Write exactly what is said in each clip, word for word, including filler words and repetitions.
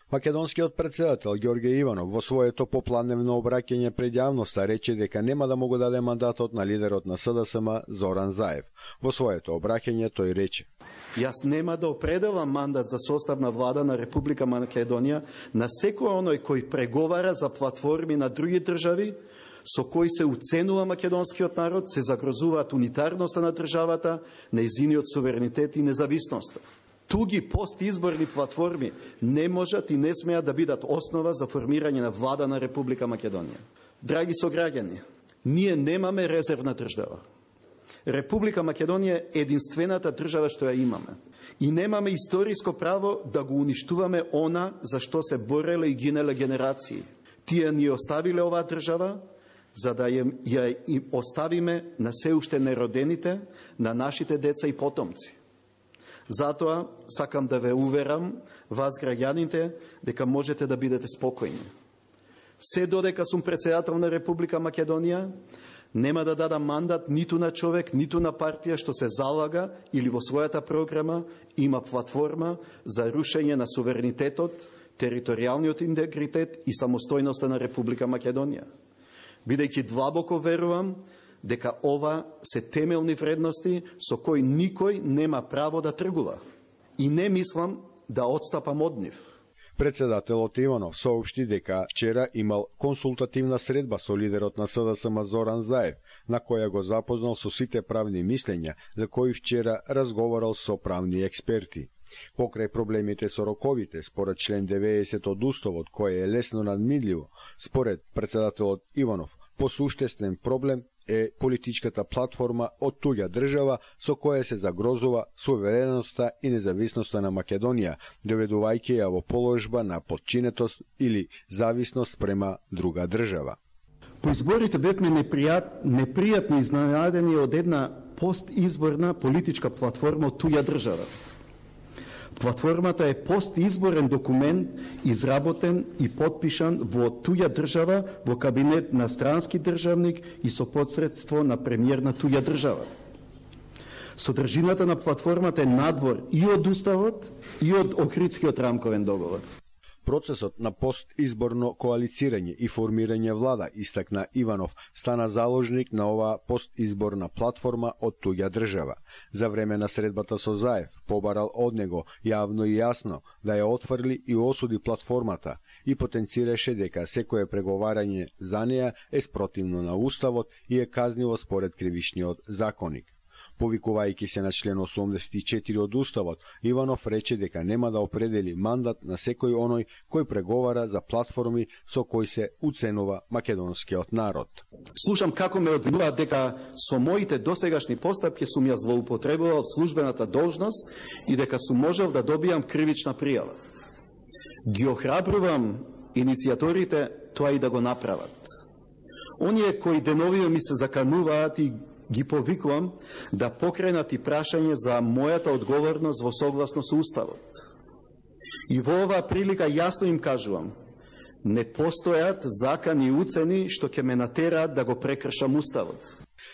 Македонскиот председател Ѓорѓе Иванов во своето попладневно обраќање пред јавноста рече дека нема да му го даде мандатот на лидерот на С Д С М Зоран Заев. Во своето обраќање тој рече: Јас нема да определам мандат за состав на влада на Република Македонија на секој оној кој преговара за платформи на други држави, со кои се уценува македонскиот народ, се загрозуваат унитарноста на државата, нејзиниот суверенитет и независноста. Туги постизборни платформи не можат и не смеат да бидат основа за формирање на влада на Република Македонија. Драги сограѓани, ние немаме резервна држава. Република Македонија е единствената држава што ја имаме. И немаме историско право да го уништуваме она за што се бореле и гинеле генерации. Тие ни оставиле оваа држава, за да ја, ја и оставиме на се уште неродените, на нашите деца и потомци. Затоа сакам да ве уверам, вас граѓаните, дека можете да бидете спокојни. Се додека сум председател на Република Македонија, нема да дадам мандат ниту на човек, ниту на партија што се залага или во својата програма има платформа за рушење на суверенитетот, територијалниот интегритет и самостојноста на Република Македонија. Бидејќи длабоко верувам дека ова се темелни вредности со кои никој нема право да тргува. И не мислам да отстапам од нив. Председателот Иванов соопшти дека вчера имал консултативна средба со лидерот на С Д С М Зоран Заев, на која го запознал со сите правни мислења, за кои вчера разговарал со правни експерти. Покрај проблемите со роковите, според член деветдесет од Уставот, кој е лесно надмидливо, според председателот Иванов, посуштествен проблем е политичката платформа од туѓа држава со која се загрозува сувереноста и независноста на Македонија, доведувајќи ја во положба на подчинетост или зависност према друга држава. По изборите бевме непријат, непријатно изненадени од една постизборна политичка платформа од туѓа држава. Платформата е постизборен документ изработен и подпишан во туѓа држава во кабинет на странски државник и со посредство на премиер на туѓа држава. Содржината на платформата е надвор и од Уставот и од Охридскиот рамковен договор. Процесот на постизборно коалицирање и формирање влада, истакна Иванов, стана заложник на оваа постизборна платформа од туѓа држава. За време на средбата со Заев побарал од него јавно и јасно да ја отфрли и осуди платформата и потенцираше дека секое преговарање за неа е спротивно на Уставот и е казниво според кривичниот законник. Повикувајќи се на член осумдесет и четири од Уставот, Иванов рече дека нема да определи мандат на секој оној кој преговара за платформи со кои се уценува македонскиот народ. Слушам како ме обвинуваат дека со моите досегашни постапки сум ја злоупотребувал службената должност и дека сум можел да добијам кривична пријава. Ги охрабрувам иницијаторите тоа и да го направат. Оние кои деновиве ми се закануваат и ги повикувам да покренат и прашање за мојата одговорност во согласно со Уставот. И во оваа прилика јасно им кажувам, не постојат закани и уцени што ќе ме натераат да го прекршам Уставот.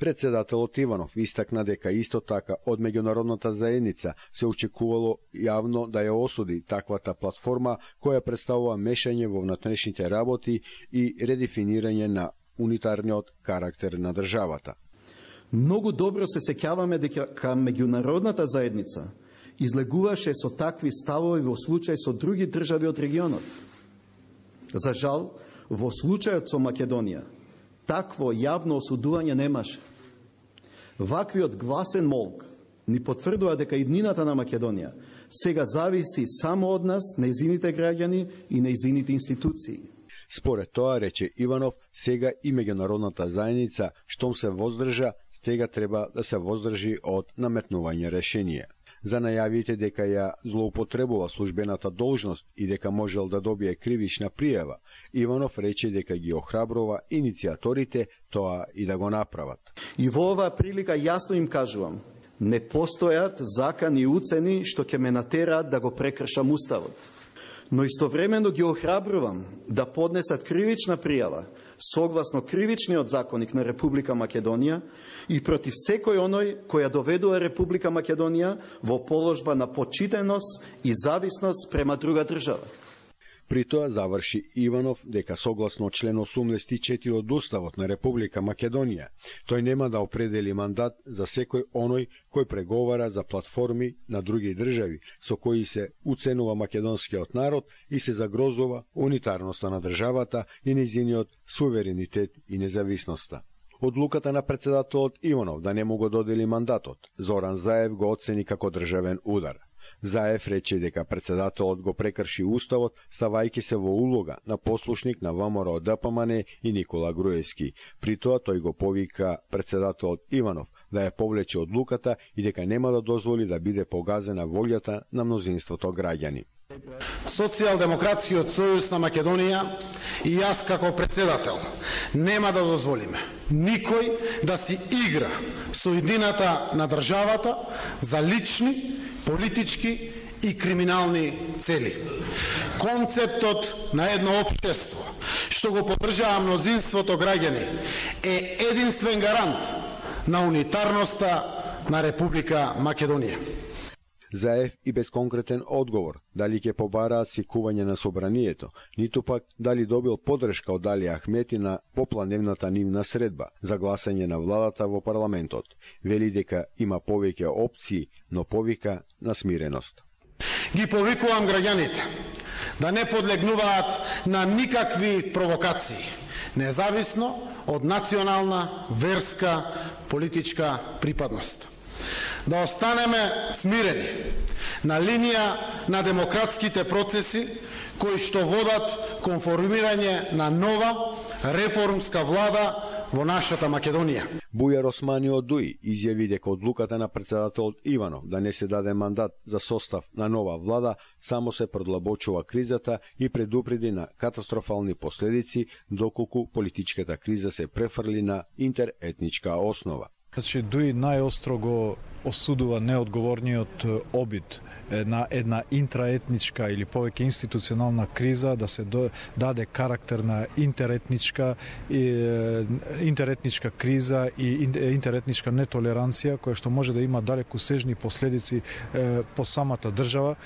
Председателот Иванов истакна дека исто така од меѓународната заедница се очекувало јавно да ја осуди таквата платформа која представува мешање во внатрешните работи и редефинирање на унитарниот карактер на државата. Многу добро се сеќаваме дека меѓународната заедница излегуваше со такви ставови во случај со други држави од регионот. За жал, во случајот со Македонија, такво јавно осудување немаше. Ваквиот гласен молк ни потврдува дека иднината на Македонија сега зависи само од нас, нејзините граѓани и нејзините институции. Според тоа, рече Иванов, сега и меѓународната заедница, штом се воздржа, сега треба да се воздржи од наметнување решение. За најавите дека ја злоупотребува службената должност и дека можел да добие кривична пријава, Иванов рече дека ги охрабрува иницијаторите тоа и да го направат. И во оваа прилика јасно им кажувам, не постојат закани и уцени што ќе ме натераат да го прекршам Уставот. Но истовремено ги охрабрувам да поднесат кривична пријава согласно кривичниот законник на Република Македонија и против секој оној која доведува Република Македонија во положба на почитеност и зависност према друга држава. При тоа заврши Иванов дека согласно член осумдесет и четири од Уставот на Република Македонија, тој нема да определи мандат за секој оној кој преговара за платформи на други држави со кои се уценува македонскиот народ и се загрозува унитарноста на државата и нејзиниот суверенитет и независноста. Одлуката на председателот Иванов да не му го додели мандатот, Зоран Заев го оцени како државен удар. Заев рече дека председателот го прекрши Уставот, ставајќи се во улога на послушник на ВМРО Д П М Н и Никола Груевски. При тоа тој го повика председателот Иванов да ја повлече одлуката и дека нема да дозволи да биде погазена волјата на мнозинството граѓани. Социјалдемократскиот сојуз на Македонија и јас како председател нема да дозволиме никој да си игра со иднината на државата за лични, политички и криминални цели. Концептот на едно општество што го поддржава мнозинството граѓани е единствен гарант на унитарноста на Република Македонија. Заев и без конкретен одговор дали ќе побараат свикување на собранието, ниту пак дали добил поддршка од Али Ахмети на попланевната нивна средба за гласање на владата во парламентот. Вели дека има повеќе опции, но повика на смиреност. Ги повикувам граѓаните да не подлегнуваат на никакви провокации, независно од национална, верска, политичка припадност. Да останеме смирени на линија на демократските процеси кои што водат кон формирање на нова реформска влада во нашата Македонија. Бујар Османи од Дуи изјави дека одлуката на председателот Иванов да не се даде мандат за состав на нова влада само се продлабочува кризата и предупреди на катастрофални последици доколку политичката криза се префрли на интеретничка основа. Значи, Дуи најостро го осудува неодговорниот обид на една интраетничка или повеќе институционална криза да се даде карактер на интеретничка интеретничка криза и интеретничка нетолеранција која што може да има далекосежни последици по самата држава.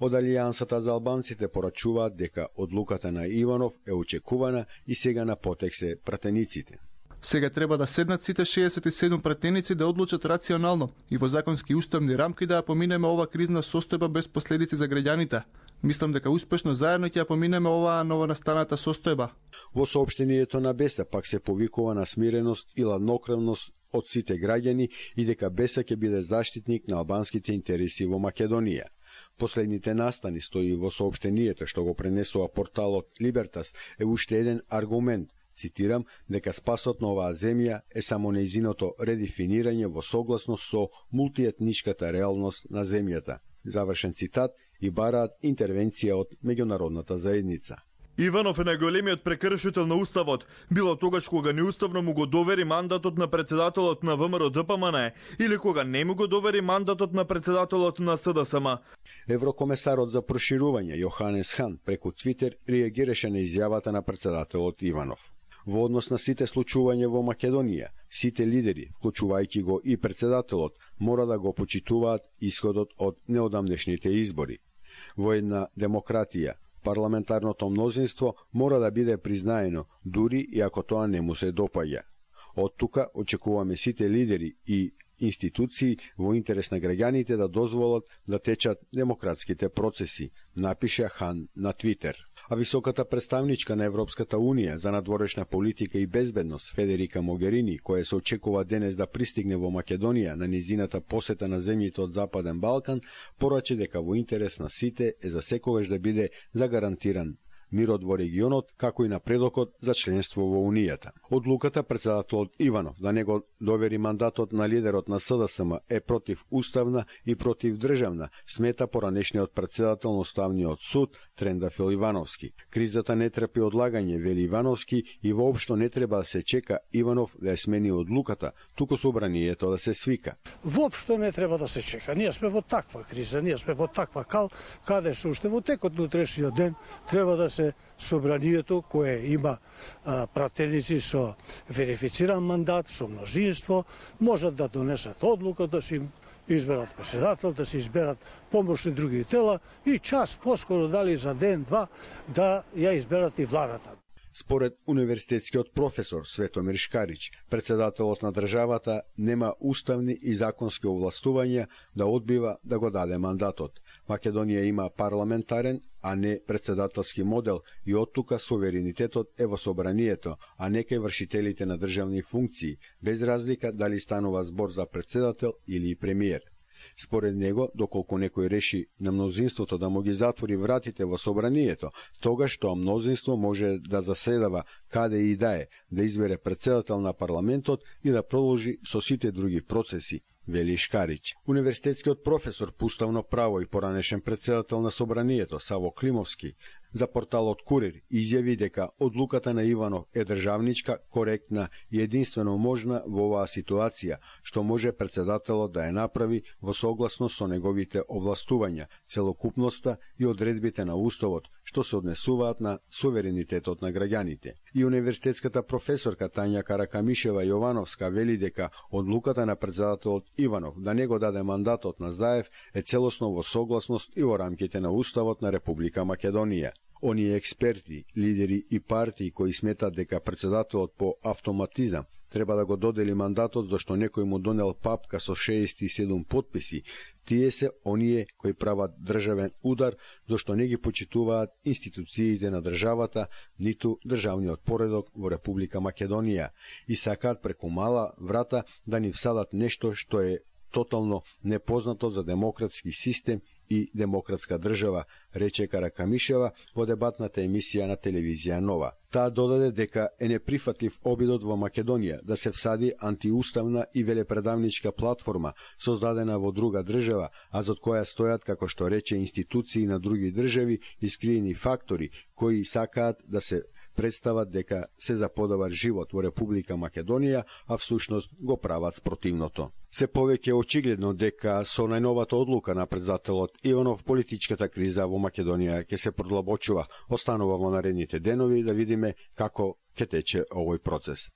Од Алијансата за албанците порачуваат дека одлуката на Иванов е очекувана и сега на потек се пратениците. Сега треба да седнат сите шеесет и седум пратеници да одлучат рационално и во законски уставни рамки да ја поминеме ова кризна состојба без последици за граѓаните. Мислам дека успешно заедно ќе ја поминеме оваа новонастаната состојба. Во соопштението на Беса пак се повикува на смиреност и ладнокрвност од сите граѓани и дека Беса ќе биде заштитник на албанските интереси во Македонија. Последните настани, стои во соопштението што го пренесува порталот Либертас, е уште еден аргумент, цитирам, дека спасот на оваа земја е само нејзиното редефинирање во согласност со мултиетничката реалност на земјата. Завршен цитат и бараат интервенција од меѓународната заедница. Иванов е најголемиот прекршител на Уставот, било тогаш кога неуставно му го довери мандатот на председателот на ВМРО Д П М Н или кога не му го довери мандатот на председателот на С Д С М. Еврокомесарот за проширување Јоханес Хан преку Твитер реагираше на изјавата на председателот Иванов. Во однос на сите случувања во Македонија, сите лидери, вклучувајќи го и председателот, мора да го почитуваат исходот од неодамнешните избори. Во една демократија, парламентарното мнозинство мора да биде признаено, дури и ако тоа не му се допаѓа. Од тука очекуваме сите лидери и институции во интерес на граѓаните да дозволат да течат демократските процеси, напиша Хан на Твитер. А високата представничка на Европската Унија за надворешна политика и безбедност Федерика Могерини, која се очекува денес да пристигне во Македонија на низината посета на земјите од Западен Балкан, пораче дека во интерес на сите е за секогаш да биде загарантиран мирот во регионот, како и напредокот за членство во Унијата. Одлуката председателот Иванов да не го довери мандатот на лидерот на С Д С М е против уставна и против државна, смета поранешниот председател на Уставниот суд Трендафил Ивановски. Кризата не трпи одлагање, вели Ивановски, и воопшто не треба да се чека Иванов да ја смени одлуката, туку собранието да се свика. Воопшто не треба да се чека. Ние сме во таква криза, ние сме во таква кал, каде што уште во текот на утрешниот ден треба да се собранието кое има а, пратеници со верифициран мандат, со мнозинство, можат да донесат одлука да се изберат председател, да се изберат помошни други тела и час поскоро, дали за ден-два, да ја изберат и владата. Според универзитетскиот професор Светомир Шкарич, председателот на државата нема уставни и законски овластувања да одбива да го даде мандатот. Македонија има парламентарен, а не председателски модел и оттука суверенитетот е во собранието, а не кај вршителите на државни функции, без разлика дали станува збор за председател или премиер. Според него, доколку некој реши на мнозинството да му ги затвори вратите во собранието, тогаш тоа мнозинство може да заседава каде и да е, да избере председател на парламентот и да продолжи со сите други процеси, вели Шкарич. Универзитетскиот професор по уставно право и поранешен председател на собранието Саво Климовски за порталот Курир изјави дека одлуката на Иванов е државничка, коректна и единствено можна во оваа ситуација, што може председателот да ја направи во согласност со неговите овластувања, целокупноста и одредбите на уставот, што се однесуваат на суверенитетот на граѓаните. И универзитетската професорка Тања Каракамишева Јовановска вели дека одлуката на председателот Иванов да не го даде мандатот на Заев е целосно во согласност и во рамките на уставот на Република Македонија. Оние експерти, лидери и партии кои сметат дека председателот по автоматизам треба да го додели мандатот зашто некој му донел папка со шеесет и седум потписи, тие се оние кои прават државен удар зашто не ги почитуваат институциите на државата, ниту државниот поредок во Република Македонија и сакаат преку мала врата да ни всадат нешто што е тотално непознато за демократски систем и демократска држава, рече Каракамишева во дебатната емисија на телевизија Нова. Таа додаде дека е неприфатлив обидот во Македонија да се всади антиуставна и велепредавничка платформа создадена во друга држава, а зад која стојат, како што рече, институции на други држави и скриени фактори кои сакаат да се представат дека се за подобар живот во Република Македонија, а всушност го прават спротивното. Се повеќе очигледно дека со најновата одлука на председателот Иванов политичката криза во Македонија ќе се продлабочува. Останува во наредните денови да видиме како ќе тече овој процес.